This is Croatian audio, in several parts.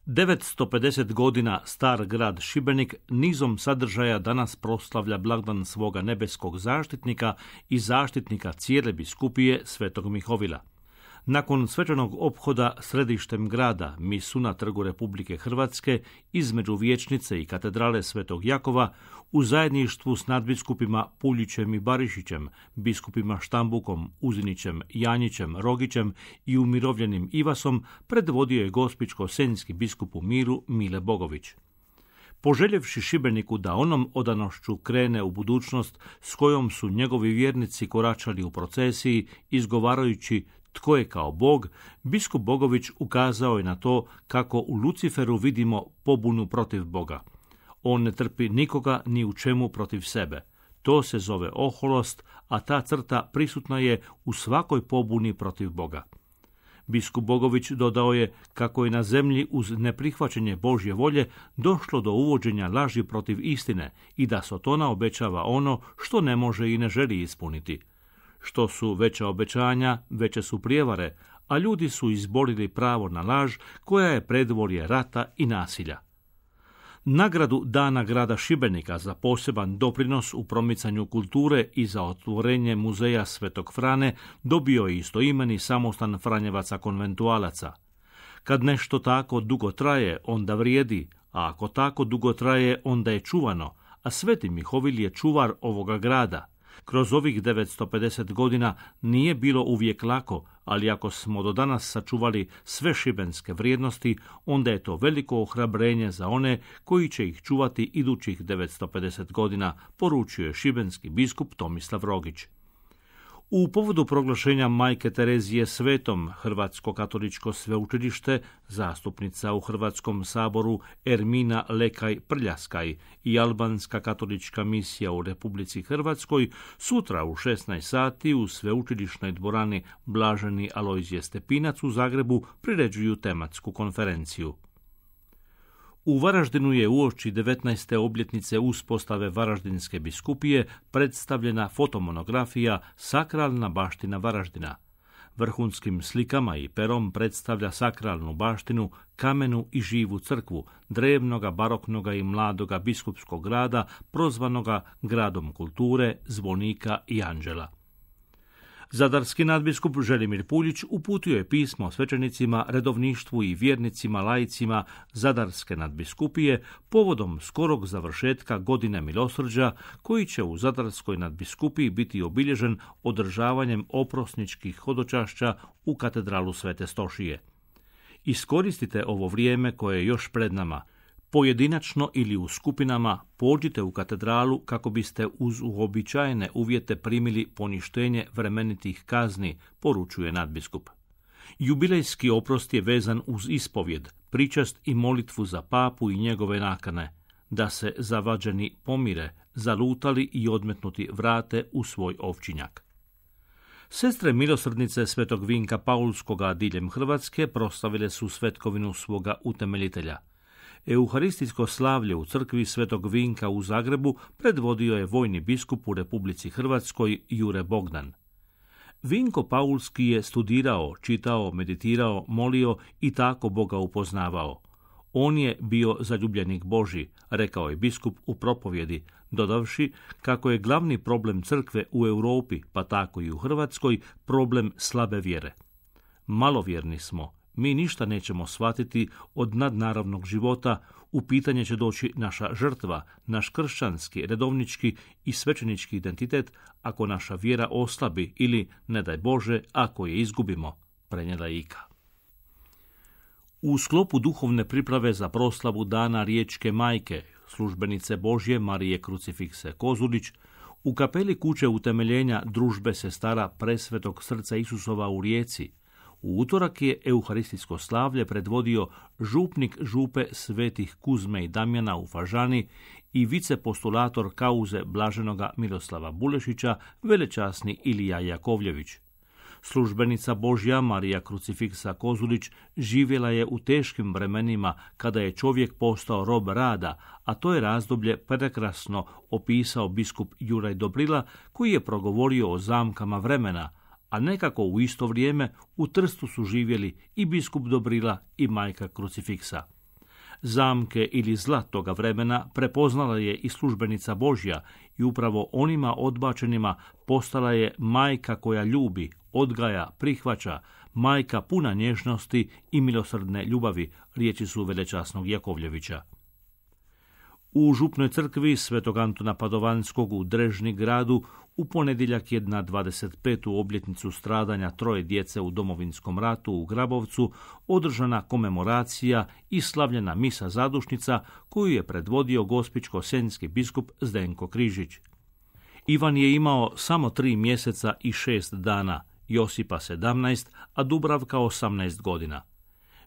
950 godina star grad Šibenik nizom sadržaja danas proslavlja blagdan svoga nebeskog zaštitnika i zaštitnika cijele biskupije Svetog Mihovila. Nakon svečanog ophoda središtem grada, misu na Trgu Republike Hrvatske, između vijećnice i katedrale Svetog Jakova, u zajedništvu s nadbiskupima Puljićem i Barišićem, biskupima Štambukom, Uzinićem, Janjićem, Rogićem i umirovljenim Ivasom, predvodio je gospićko-senjski biskup u miru Mile Bogović. Poželjevši Šibeniku da onom odanošću krene u budućnost s kojom su njegovi vjernici koračali u procesiji, izgovarajući tko je kao Bog, biskup Bogović ukazao je na to kako u Luciferu vidimo pobunu protiv Boga. On ne trpi nikoga ni u čemu protiv sebe. To se zove oholost, a ta crta prisutna je u svakoj pobuni protiv Boga. Biskup Bogović dodao je kako je na zemlji uz neprihvaćenje Božje volje došlo do uvođenja laži protiv istine i da Sotona obećava ono što ne može i ne želi ispuniti. Što su veća obećanja, veće su prijevare, a ljudi su izborili pravo na laž koja je predvorje rata i nasilja. Nagradu Dana grada Šibenika za poseban doprinos u promicanju kulture i za otvorenje muzeja Svetog Frane dobio je istoimeni samostan Franjevaca konventualaca. Kad nešto tako dugo traje, onda vrijedi, a ako tako dugo traje, onda je čuvano, a Sveti Mihovil je čuvar ovoga grada. Kroz ovih 950 godina nije bilo uvijek lako, ali ako smo do danas sačuvali sve šibenske vrijednosti, onda je to veliko ohrabrenje za one koji će ih čuvati idućih 950 godina, poručio je šibenski biskup Tomislav Rogić. U povodu proglašenja Majke Terezije svetom, Hrvatsko katoličko sveučilište, zastupnica u Hrvatskom saboru Ermina Lekaj Prljaskaj i albanska katolička misija u Republici Hrvatskoj sutra u 16 sati u sveučilišnoj dvorani Blaženi Alojzije Stepinac u Zagrebu priređuju tematsku konferenciju. U Varaždinu je uoči 19. obljetnice uspostave Varaždinske biskupije predstavljena fotomonografija Sakralna baština Varaždina. Vrhunskim slikama i perom predstavlja sakralnu baštinu, kamenu i živu crkvu, drevnoga, baroknoga i mladoga biskupskog grada, prozvanoga gradom kulture, zvonika i anđela. Zadarski nadbiskup Želimir Puljić uputio je pismo svećenicima, redovništvu i vjernicima laicima Zadarske nadbiskupije povodom skorog završetka godine milosrđa koji će u Zadarskoj nadbiskupiji biti obilježen održavanjem oprosničkih hodočašća u katedralu Svete Stošije. Iskoristite ovo vrijeme koje je još pred nama. Pojedinačno ili u skupinama pođite u katedralu kako biste uz uobičajene uvjete primili poništenje vremenitih kazni, poručuje nadbiskup. Jubilejski oprost je vezan uz ispovjed, pričast i molitvu za papu i njegove nakane, da se zavađeni pomire, zalutali i odmetnuti vrate u svoj ovčinjak. Sestre milosrdnice Svetog Vinka Paulskoga diljem Hrvatske proslavile su svetkovinu svoga utemeljitelja. Euharistijsko slavlje u crkvi Svetog Vinka u Zagrebu predvodio je vojni biskup u Republici Hrvatskoj Jure Bogdan. Vinko Paulski je studirao, čitao, meditirao, molio i tako Boga upoznavao. On je bio zaljubljenik Božji, rekao je biskup u propovjedi, dodavši kako je glavni problem crkve u Europi, pa tako i u Hrvatskoj, problem slabe vjere. Malovjerni smo. Mi ništa nećemo shvatiti od nadnaravnog života, u pitanje će doći naša žrtva, naš kršćanski, redovnički i svećenički identitet ako naša vjera oslabi ili, ne daj Bože, ako je izgubimo, prenijela Ika. U sklopu duhovne priprave za proslavu Dana Riječke majke, službenice Božje Marije Krucifikse Kozulić, u kapeli kuće utemeljenja družbe sestara Presvetog srca Isusova u Rijeci, u utorak je euharistijsko slavlje predvodio župnik župe svetih Kuzme i Damjana u Fažani i vicepostulator kauze blaženoga Miroslava Bulešića, velečasni Ilija Jakovljević. Službenica Božja Marija Krucifiksa Kozulić živjela je u teškim vremenima kada je čovjek postao rob rada, a to je razdoblje prekrasno opisao biskup Juraj Dobrila koji je progovorio o zamkama vremena, a nekako u isto vrijeme u Trstu su živjeli i biskup Dobrila i majka Krucifiksa. Zamke ili zla toga vremena prepoznala je i službenica Božja i upravo onima odbačenima postala je majka koja ljubi, odgaja, prihvaća, majka puna nježnosti i milosrdne ljubavi, riječi su velečasnog Jakovljevića. U župnoj crkvi Svetog Antuna Padovanskog u Drežni gradu u ponedjeljak je na 25. obljetnicu stradanja 3 djece u Domovinskom ratu u Grabovcu održana komemoracija i slavljena misa zadušnica koju je predvodio gospićko-senjski biskup Zdenko Križić. Ivan je imao samo 3 mjeseca i 6 dana, Josipa 17, a Dubravka 18 godina.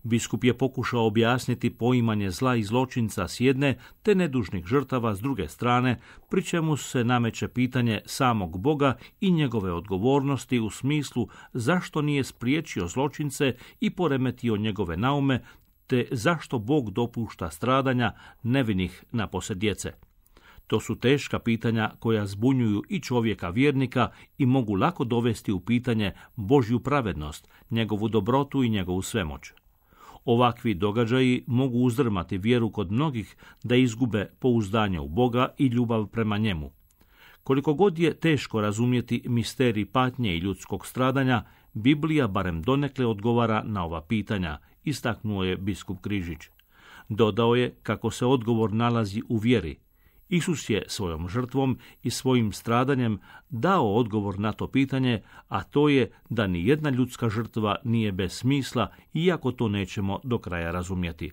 Biskup je pokušao objasniti poimanje zla i zločinca s jedne, te nedužnih žrtava s druge strane, pri čemu se nameće pitanje samog Boga i njegove odgovornosti u smislu zašto nije spriječio zločince i poremetio njegove naume, te zašto Bog dopušta stradanja nevinih napose djece. To su teška pitanja koja zbunjuju i čovjeka vjernika i mogu lako dovesti u pitanje Božju pravednost, njegovu dobrotu i njegovu svemoć. Ovakvi događaji mogu uzdrmati vjeru kod mnogih da izgube pouzdanje u Boga i ljubav prema njemu. Koliko god je teško razumjeti misterij patnje i ljudskog stradanja, Biblija barem donekle odgovara na ova pitanja, istaknuo je biskup Križić. Dodao je kako se odgovor nalazi u vjeri. Isus je svojom žrtvom i svojim stradanjem dao odgovor na to pitanje, a to je da ni jedna ljudska žrtva nije bez smisla, iako to nećemo do kraja razumjeti.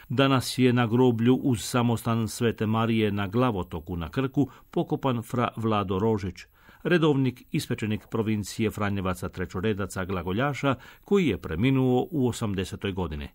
Danas je na groblju uz samostan Svete Marije na Glavotoku na Krku pokopan fra Vlado Rožić, redovnik ispečenik provincije Franjevaca Trećoredaca Glagoljaša, koji je preminuo u 80. godini.